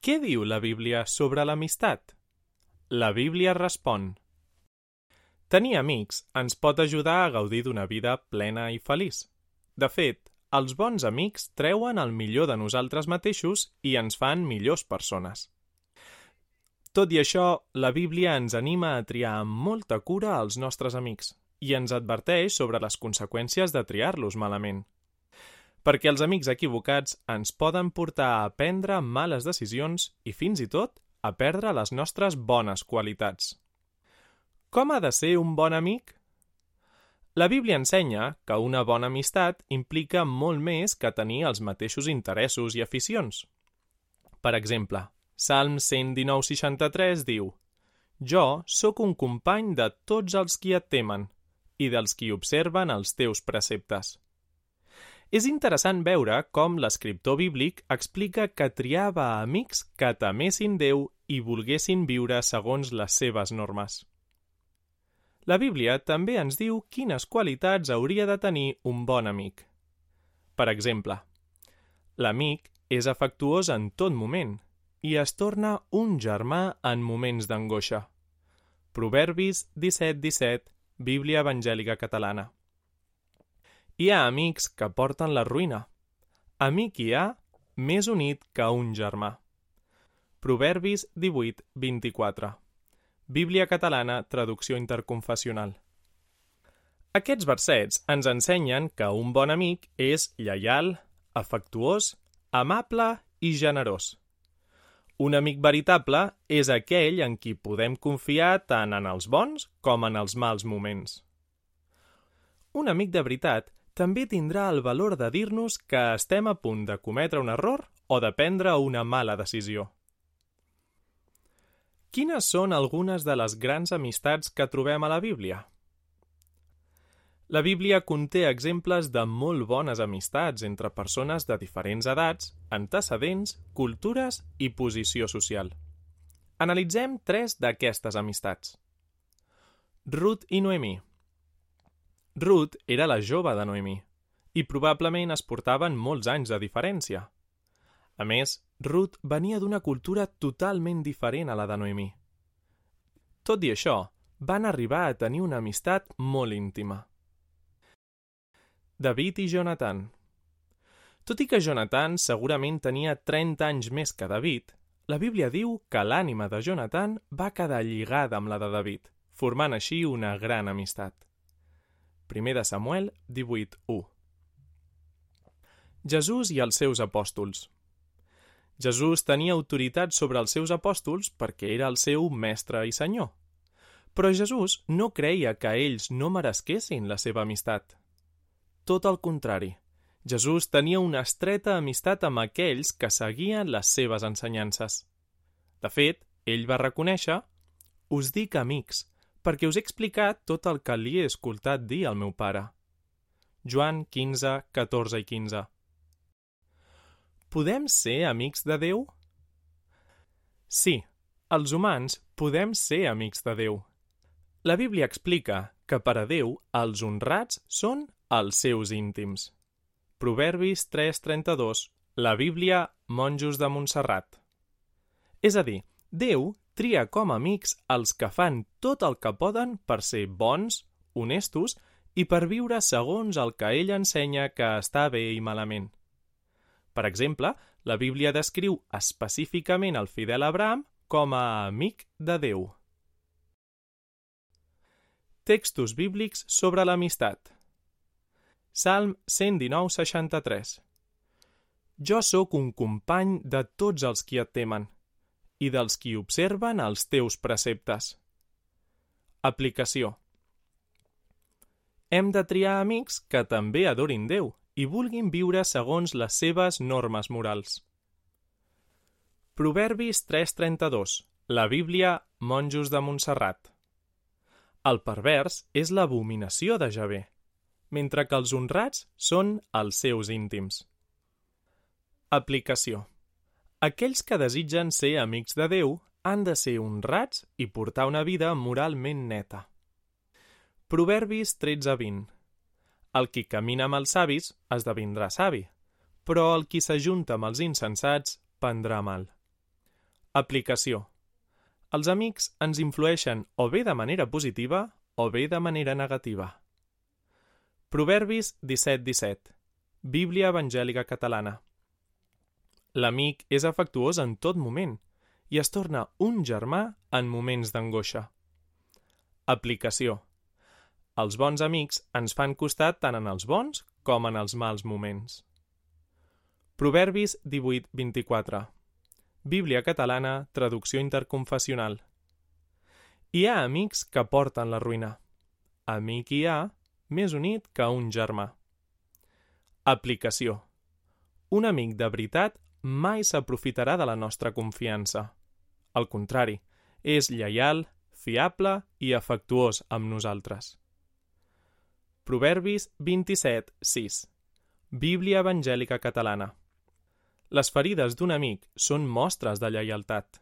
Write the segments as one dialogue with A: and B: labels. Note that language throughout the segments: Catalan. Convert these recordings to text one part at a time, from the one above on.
A: Què diu la Bíblia sobre l'amistat? La Bíblia respon: tenir amics ens pot ajudar a gaudir d'una vida plena i feliç. De fet, els bons amics treuen el millor de nosaltres mateixos i ens fan millors persones. Tot i això, la Bíblia ens anima a triar amb molta cura els nostres amics i ens adverteix sobre les conseqüències de triar-los malament. Perquè els amics equivocats ens poden portar a prendre males decisions i fins i tot a perdre les nostres bones qualitats. Com ha de ser un bon amic? La Bíblia ensenya que una bona amistat implica molt més que tenir els mateixos interessos i aficions. Per exemple, Salm 119:63 diu: jo sóc un company de tots els qui et temen i dels qui observen els teus preceptes. És interessant veure com l'escriptor bíblic explica que triava amics que temessin Déu i volguessin viure segons les seves normes. La Bíblia també ens diu quines qualitats hauria de tenir un bon amic. Per exemple, l'amic és afectuós en tot moment i es torna un germà en moments d'angoixa. Proverbis 17:17, Bíblia Evangèlica Catalana. Hi ha amics que porten la ruïna. Amic hi ha més unit que un germà. Proverbis 18:24. Bíblia Catalana, traducció interconfessional. Aquests versets ens ensenyen que un bon amic és lleial, afectuós, amable i generós. Un amic veritable és aquell en qui podem confiar tant en els bons com en els mals moments. Un amic de veritat també tindrà el valor de dir-nos que estem a punt de cometre un error o de prendre una mala decisió. Quines són algunes de les grans amistats que trobem a la Bíblia? La Bíblia conté exemples de molt bones amistats entre persones de diferents edats, antecedents, cultures i posició social. Analitzem 3 d'aquestes amistats. Ruth i Noemí. Ruth era la jove de Noemí i probablement es portaven molts anys de diferència. A més, Ruth venia d'una cultura totalment diferent a la de Noemí. Tot i això, van arribar a tenir una amistat molt íntima. David i Jonatan. Tot i que Jonatan segurament tenia 30 anys més que David, la Bíblia diu que l'ànima de Jonatan va quedar lligada amb la de David, formant així una gran amistat. 1 de Samuel 18:1. Jesús i els seus apòstols. Jesús tenia autoritat sobre els seus apòstols perquè era el seu mestre i senyor. Però Jesús no creia que ells no meresquessin la seva amistat. Tot el contrari, Jesús tenia una estreta amistat amb aquells que seguien les seves ensenyances. De fet, ell va reconèixer: us dic amics, perquè us he explicat tot el que li he escoltat dir al meu pare. Joan 15, 14 i 15. Podem ser amics de Déu? Sí, els humans podem ser amics de Déu. La Bíblia explica que per a Déu els honrats són els seus íntims. Proverbis 3:32, la Bíblia Monjos de Montserrat. És a dir, Déu tria com a amics els que fan tot el que poden per ser bons, honestos i per viure segons el que ell ensenya que està bé i malament. Per exemple, la Bíblia descriu específicament el fidel Abraham com a amic de Déu. Textos bíblics sobre l'amistat. Salm 119:63. Jo sóc un company de tots els qui et temen i dels qui observen els teus preceptes. Aplicació. Hem de triar amics que també adorin Déu i vulguin viure segons les seves normes morals. Proverbis 3:32, la Bíblia Monjos de Montserrat. El pervers és l'abominació de Javé, mentre que els honrats són els seus íntims. Aplicació. Aquells que desitgen ser amics de Déu han de ser honrats i portar una vida moralment neta. Proverbis 13:20. El qui camina amb els savis esdevindrà savi, però el qui s'ajunta amb els insensats prendrà mal. Aplicació. Els amics ens influeixen o bé de manera positiva o bé de manera negativa. Proverbis 17:17. Bíblia Evangèlica Catalana. L'amic és afectuós en tot moment i es torna un germà en moments d'angoixa. Aplicació. Els bons amics ens fan costat tant en els bons com en els mals moments. Proverbis 18:24. Bíblia Catalana, traducció interconfessional. Hi ha amics que porten la ruïna. Amic hi ha, més unit que un germà. Aplicació. Un amic de veritat mai s'aprofitarà de la nostra confiança. Al contrari, és lleial, fiable i afectuós amb nosaltres. Proverbis 27:6. Bíblia Evangèlica Catalana. Les ferides d'un amic són mostres de lleialtat.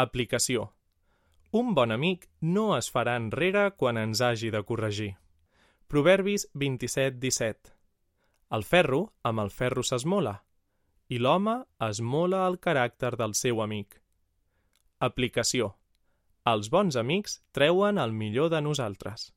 A: Aplicació. Un bon amic no es farà enrere quan ens hagi de corregir. Proverbis 27:17. El ferro amb el ferro s'esmola, i l'home esmola el caràcter del seu amic. Aplicació. Els bons amics treuen el millor de nosaltres.